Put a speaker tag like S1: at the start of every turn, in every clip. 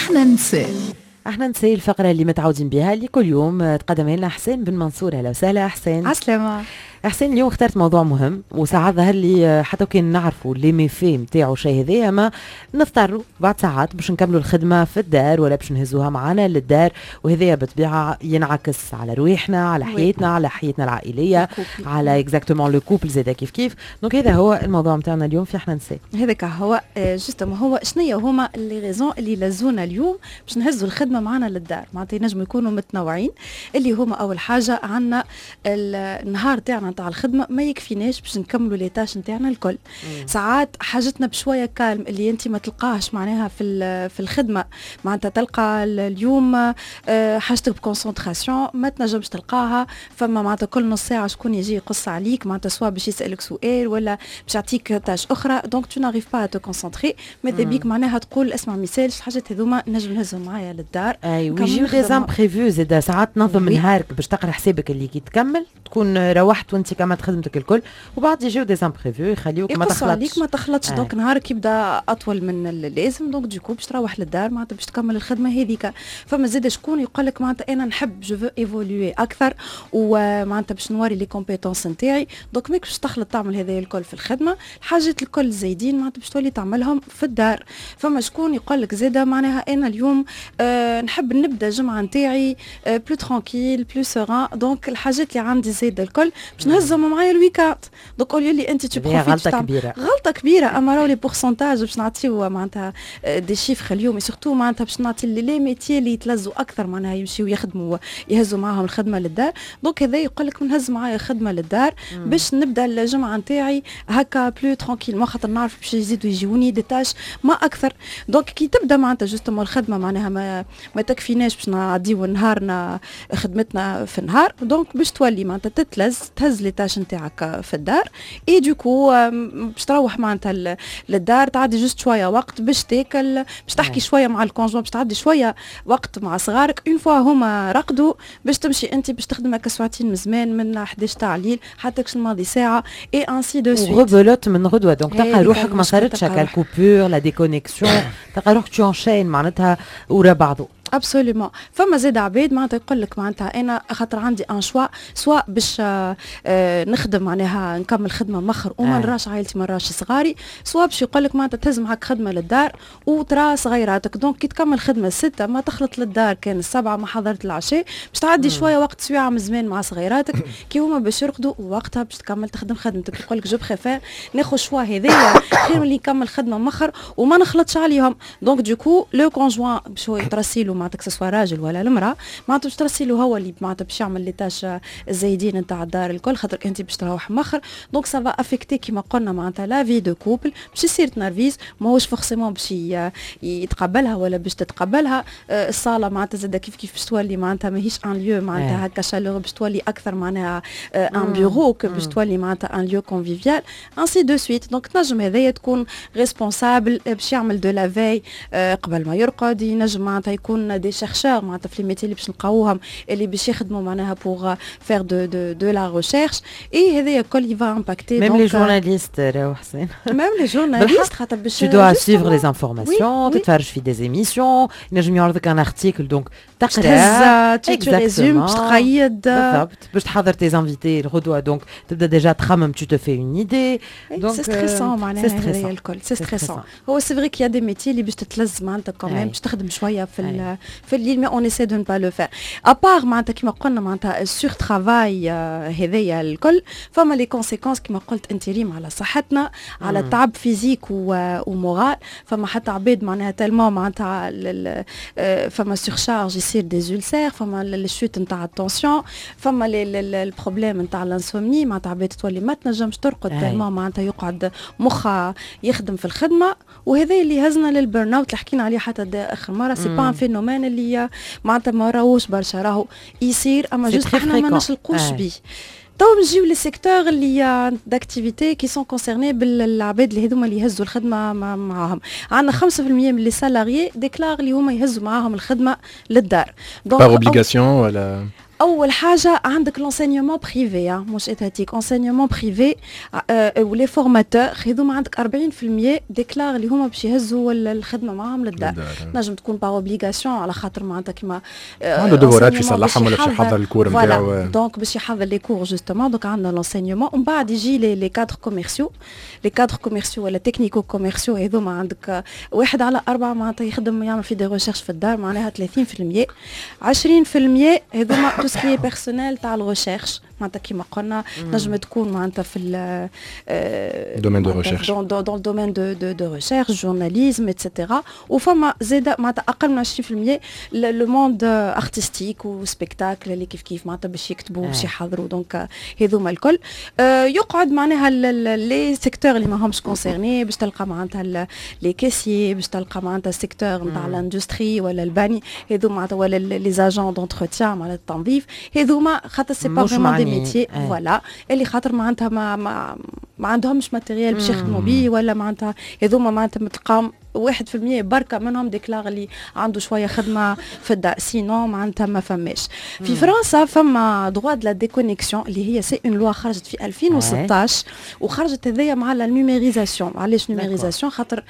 S1: احنا نساء.
S2: احنا نساء، الفقرة اللي متعودين بها، اللي كل يوم تقدمها لنا حسين بن منصور. اهلا وسهلا حسين.
S3: عسلامة.
S2: حسين، اليوم اخترت موضوع مهم، وساعات ظهر لي حتى كان نعرفوا les méfaits نتاعو شيء هذايا، ما نضطروا بعد ساعات باش نكملوا الخدمة في الدار ولا باش نهزوها معنا للدار، وهذايا بالطبيعة ينعكس على رواحنا، على حياتنا، على حياتنا العائليه، على exactement le couple زاده كيف كيف. donc هذا هو الموضوع نتاعنا اليوم في احنا نساء.
S3: هذاك هو justement، هو شنو هما les raisons اللي لزونا اليوم باش نهزوا الخدمة معنا للدار؟ معناتها ينجموا يكونوا متنوعين، اللي هما اول حاجة عندنا النهار تاعنا نتاع الخدمة ما يكفيناش باش نكملوا les tâches نتاعنا الكل. ساعات حاجتنا بشوية calme اللي انت ما تلقاهش معناها في الخدمه. معناتها تلقى اليوم حاجتك ب concentration ما تنجمش تلقاها. فما معناتها كل نص ساعة شكون يجي يقص عليك، معناتها soit باش يسالك سؤال ولا باش يعطيك tâche اخرى، donc tu n'arrives pas à te concentrer. ماذا بيك معناها تقول اسمع، ميسالش، الحاجات هذوما نجم نهزهم معايا للدار.
S2: اي، ويجيو des imprévus زاد. ساعات تنظم نهارك باش تقرا حسابك اللي كي تكمل تكون روحت وانت كملت خدمتك الكل، وبعد يجيو des imprévus يخليوك ما تخلطش.
S3: عليك ما تخلطش، donc نهارك يبدا اطول من اللازم، donc du coup باش تروح للدار معناتها باش تكمل الخدمة هذيك. فما زاد شكون يقول لك معناتها انا نحب je veux évoluer اكثر ومعناتها باش نوري les compétences نتاعي، donc ماك باش تخلط تعمل هذا الكل في الخدمه، الحاجات الكل زايدين معناتها باش تولي تعملهم في الدار. فما شكون يقول لك زاده معناها انا اليوم نحب نبدا الجمعة نتاعي plus tranquille، plus serein، donc الحاجات اللي عندي زايدة الكل باش نهزهم معايا ال week-end. donc au lieu اللي انت tu
S2: profites، غلطه كبيره.
S3: غلطه كبيره. اما راهو les pourcentages، باش نعطيو معناتها des chiffres اليوم، surtout معناتها باش نعطي les métiers اللي يتلزوا اكثر معناها يمشيو يخدموا يهزوا معاهم الخدمة للدار. donc هذا يقول لك نهز معايا خدمة للدار باش نبدا الجمعة نتاعي هكا plus tranquillement، خاطر نعرف باش يزيدوا يجيوني des tâches ما اكثر. donc كي تبدا معناتها justement الخدمة معناها ما تكفيناش باش نعديو نهارنا خدمتنا في النهار، donc باش تولي معناتها تتلز تهز les tâches نتاعك في الدار، et du coup باش تروح معناتها للدار تعدي juste شوية وقت باش تاكل، باش تحكي شوية مع ال conjoint، باش تعدي شوية وقت مع صغارك. une fois هما رقدوا باش تمشي انت باش تخدم هكا ساعتين من زمان، من 11 تاع الليل حتى الماضي ساعه، et ainsi de suite.
S2: rebelote من غدوه، donc تلقى روحك ما صارتش هكا ال coupure، la déconnexion، تلقى روحك tu enchaînes معناتها ورا بعضه.
S3: absolument. فما زاد عباد معناتها يقول لك معناتها انا خاطر عندي un choix، soit باش نخدم معناها نكمل خدمة مخر وما نراش عائلتي، ما نراش صغاري، soit باش يقول لك معناتها تهز معك خدمة للدار وترى صغيراتك. donc كي تكمل خدمة 6 ما تخلط للدار كان 7، ما حضرت العشاء، باش تعدي شوية وقت، سويعه من زمان مع صغيراتك. كي هما باش يرقدوا وقتها باش تكمل تخدم خدمتك. يقول لك je préfère ناخذ choix هذايا خير من اللي نكمل خدمة مخر وما نخلطش عليهم. donc du coup le conjoint باش هو يترسيلو معناتها، que ce soit راجل ولا المراة، معناتها باش ترسيلو هو اللي معناتها باش يعمل les tâches الزايدين نتاع الدار الكل، خاطر انت باش تروح مخر. donc ça va affecter كيما قلنا معناتها la vie de couple، باش يصير تنرفيز، ماهوش forcément باش يتقبلها ولا باش تتقبلها. الصاله معناتها زاده كيف كيف باش تولي معناتها ماهيش un lieu معناتها هكا chaleureux، باش تولي اكثر معناها un bureau باش تولي معناتها un lieu convivial، ainsi de suite. donc تنجم هذايا تكون responsable باش يعمل de la veille قبل ما يرقد. ينجم معناتها يكون des chercheurs، معناتها في les métiers اللي باش نلقاوهم اللي باش يخدموا معناها pour faire de la recherche، et هذايا الكل va impacter.
S2: même les journalistes راهو حسين.
S3: même les journalistes خاطر باش
S2: tu dois suivre les informations، تتفرج في des émissions، ينجم يعرضك un article، donc
S3: تقرا، tu résumes، باش تقيد.
S2: بالضبط، باش تحضر tes invités الغدوه، donc تبدا déjà تخمم، tu te fais une idée.
S3: donc c'est stressant معناها هذايا الكل c'est stressant. هو c'est vrai qu'il y a des métiers اللي باش تتلز معناتها quand même باش تخدم شوية في الليل، mais on essaie de ne pas le faire. à part معناتها كيما قلنا معناتها ال surtravail هذايا الكل، فما les conséquences كيما قلت انت ريم على صحتنا، على التعب physique و moral. فما حتى عباد معناها tellement معناتها فما surcharge، يصير des ulcères، فما ال chute نتاع ال tension، فما ال problème نتاع l'insomnie، معناتها عباد تولي ما تنجمش ترقد tellement معناتها يقعد مخها يخدم في الخدمه. وهذا اللي هزنا لل burn-out اللي حكينا عليه حتى اخر مره. c'est pas un phénomène اللي معناتها ما راهوش برشا، راهو يصير اما juste احنا ما نشلقوش بيه. تو نجيو les secteurs اللي d'activité qui sont concernés بالعباد اللي هذوما اللي يهزوا الخدمة معاهم. عندنا 5% من les salariés déclarent اللي هما يهزوا معاهم الخدمة للدار.
S4: par obligation ولا
S3: اول حاجة عندك l'enseignement privé، مش étatique، enseignement privé و les formateurs هذوما عندك 40% déclarent اللي هما باش يهزوا الخدمة معاهم للدار. نجم تكون par obligation على خاطر معناتها كيما
S1: عنده devoir ات باش يصلحهم ولا باش يحضر ال cours نتاعو.
S3: donc باش يحضر les cours justement، donc عندنا l'enseignement، ومن بعد يجي les cadres commerciaux، les cadres commerciaux ولا technico-commerciaux، هذوما عندك 1 على 4 معناتها يخدم يعمل في des recherches في الدار، معناها 30%. 20% هذوما tout ce qui est personnel تاع ال recherche، معناتها كيما قلنا نجم تكون معناتها في
S1: domaine de recherche،
S3: dans le domaine de recherche، journalisme et cetera. وفما زاده معناتها اقل من 20% le monde artistique و spectacle اللي كيف كيف معناتها باش يكتبوا، باش يحضروا. donc هذوما الكل يقعد معناها les secteurs اللي ما همش concernés، باش تلقى معناتها les caissiers، باش تلقى معناتها ال secteur نتاع l'industrie ولا البني هذوما معناتها، ولا les agents d'entretien معناتها التنظيف، هذوما خاطر c'est pas vraiment des métiers voilà اللي خاطر معناتها ما عندهمش matériel باش يخدموا بيه، ولا معناتها هذوما معناتها تلقاهم 1% بركة منهم déclare اللي عنده شوية خدمة في الدار، sinon معناتها ما فماش. في فرنسا فما droit de la déconnexion اللي هي c'est une loi خرجت في 2016، وخرجت هذايا مع la numérisation. علاش numérisation؟ خاطر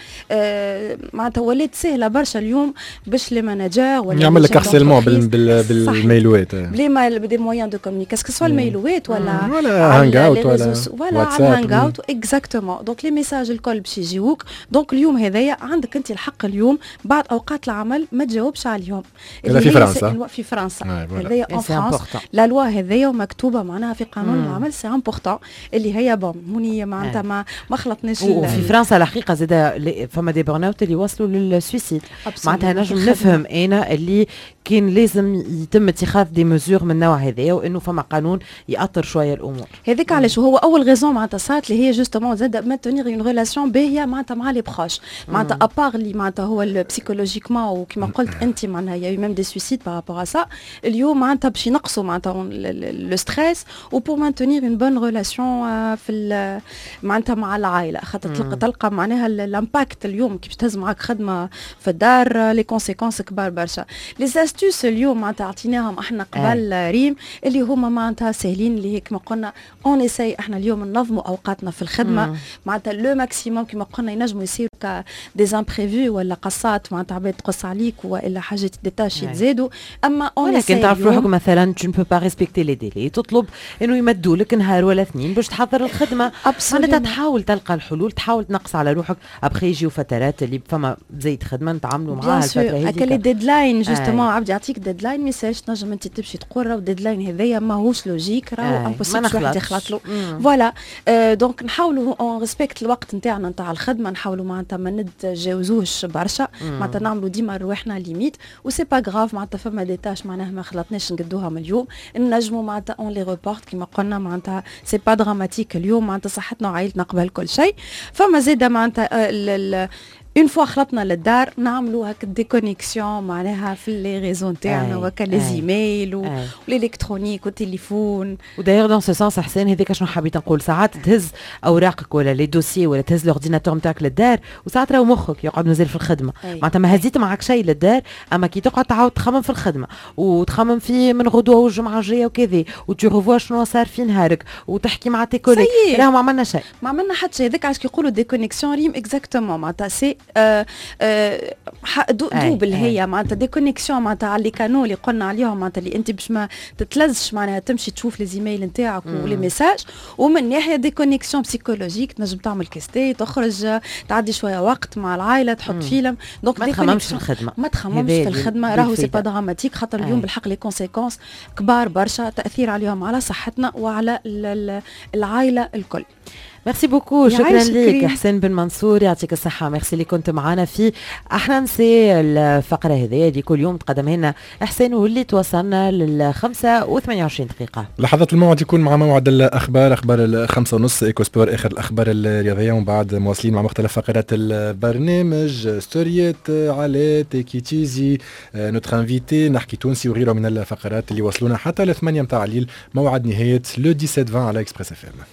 S3: معناتها ولات سهلة برشا اليوم باش les managers
S1: ولا يعمل لك harcèlement بال mail وات.
S3: بلي des moyens de communication، soit ال mail وات ولا
S1: ولا Hangout ولا
S3: ولا على ال Hangout exactement. donc les messages الكل باش يجيوك. donc اليوم هذايا عندك انت الحق اليوم بعد اوقات العمل ما تجاوبش عليهم.
S1: هذا في فرنسا.
S3: في فرنسا هذايا، en France la loi هذايا ومكتوبه معناها في قانون العمل، c'est important اللي هي bon هوني معناتها ما خلطناش.
S2: وفي فرنسا الحقيقة زاد فما des burn-out اللي وصلوا لل suicide، معناتها نجم نفهم انا اللي كان لازم يتم اتخاذ des mesures من النوع هذا، وانه فما قانون يأطر شوية الامور.
S3: هذاك علاش هو اول raison معناتها صارت اللي هي justement زاد maintenir une relation باهيه معناتها مع les proches، معناتها à part اللي معناتها هو psychologiquement، وكما قلت انت معناها y a même des suicides par rapport à ça. اليوم معناتها باش ينقصوا معناتها le stress و pour maintenir une bonne relation في معناتها مع العائله، خاطر تلقى معناها l'impact اليوم كي باش تهز معاك خدمة في الدار les conséquences كبار برشا. les astuces اليوم معناتها عطيناهم احنا قبل ريم، اللي هما معناتها ساهلين، اللي هي كما قلنا on essaie احنا اليوم ننظموا اوقاتنا في الخدمة معناتها le maximum. كما قلنا ينجموا يصيروا des imprévus ولا قصات، معناتها عباد تقص عليك والا حاجات des tâches يتزادوا، اما
S2: on ولكن تعرف روحك مثلا tu ne peux pas respecter les délais، تطلب انه يمدوا لك نهار ولا اثنين باش تحضر الخدمه، معناتها تحاول تلقى الحلول، تحاول تنقص على روحك. après يجيو فترات اللي فما زايد خدمة نتعاملوا معاها.
S3: الفترة هذيك les deadlines justement، عبد يعطيك deadline ما يسالش، تنجم انت تمشي تقول راهو deadline هذايا ماهوش logique، راهو impossible واحد يخلط له. voilà، donc نحاولوا on respecte الوقت نتاعنا نتاع الخدمه، نحاولوا معناتها ما نتجاوزوش برشا، معناتها نعملوا ديما رواحنا limite، و c'est pas grave معناتها فما des tâches معناها ما خلطناش نقدوها من اليوم، نجموا معناتها on les reporte. كيما قلنا معناتها c'est pas dramatique، اليوم معناتها صحتنا وعائلتنا قبل كل شيء. فما زاده معناتها une fois خلطنا للدار نعملوا هكا déconnexion معناها في les réseaux نتاعنا وكا les emails وال électronique والتليفون.
S2: و d'ailleurs dans ce sens حسين، هذاك شنو حبيت نقول، ساعات تهز اوراقك ولا les dossiers ولا تهز l'ordinateur نتاعك للدار، وساعات راهو مخك يقعد مازال في الخدمه. معناتها ما هزيت معك شيء للدار، اما كي تقعد تعاود تخمم في الخدمة وتخمم في من غدوه والجمعة الجاية وكذا، و tu revois شنو صار في نهارك وتحكي مع tes collègues، راهو ما عملنا شيء.
S3: ما عملنا حتى شيء. هذاك علاش كيقولوا déconnexion ريم، exactement معناتها c'est double هي معناتها déconnexion معناتها على les canaux اللي قلنا عليهم، معناتها اللي انت باش ما تتلزش معناها تمشي تشوف les emails نتاعك و les messages، ومن ناحية déconnexion psychologique تنجم تعمل كاس تاي، تخرج تعدي شوية وقت مع العائله، تحط فيلم.
S2: donc ما تخممش في الخدمه.
S3: ما تخممش في الخدمه، راهو c'est pas dramatique، خاطر اليوم بالحق les conséquences كبار برشا، تاثير عليهم على صحتنا وعلى العائلة الكل.
S2: merci beaucoup، شكرا لك حسين بن منصور، يعطيك الصحة. ميرسي اللي كنت معنا في احنا نسي، الفقرة هذه اللي كل يوم تقدمها لنا حسين واللي توصلنا لل5 و28 دقيقة.
S1: لحظة الموعد يكون مع موعد الأخبار، أخبار 5:30، Eco Sport، آخر الأخبار الرياضية، ومن بعد مواصلين مع مختلف فقرات البرنامج، ستوريات على تيكي تيزي، notre invité، نحكي تونسي وغيره من الفقرات اللي وصلونا حتى ل8 متاع الليل، موعد نهاية le 17 20 على Express FM.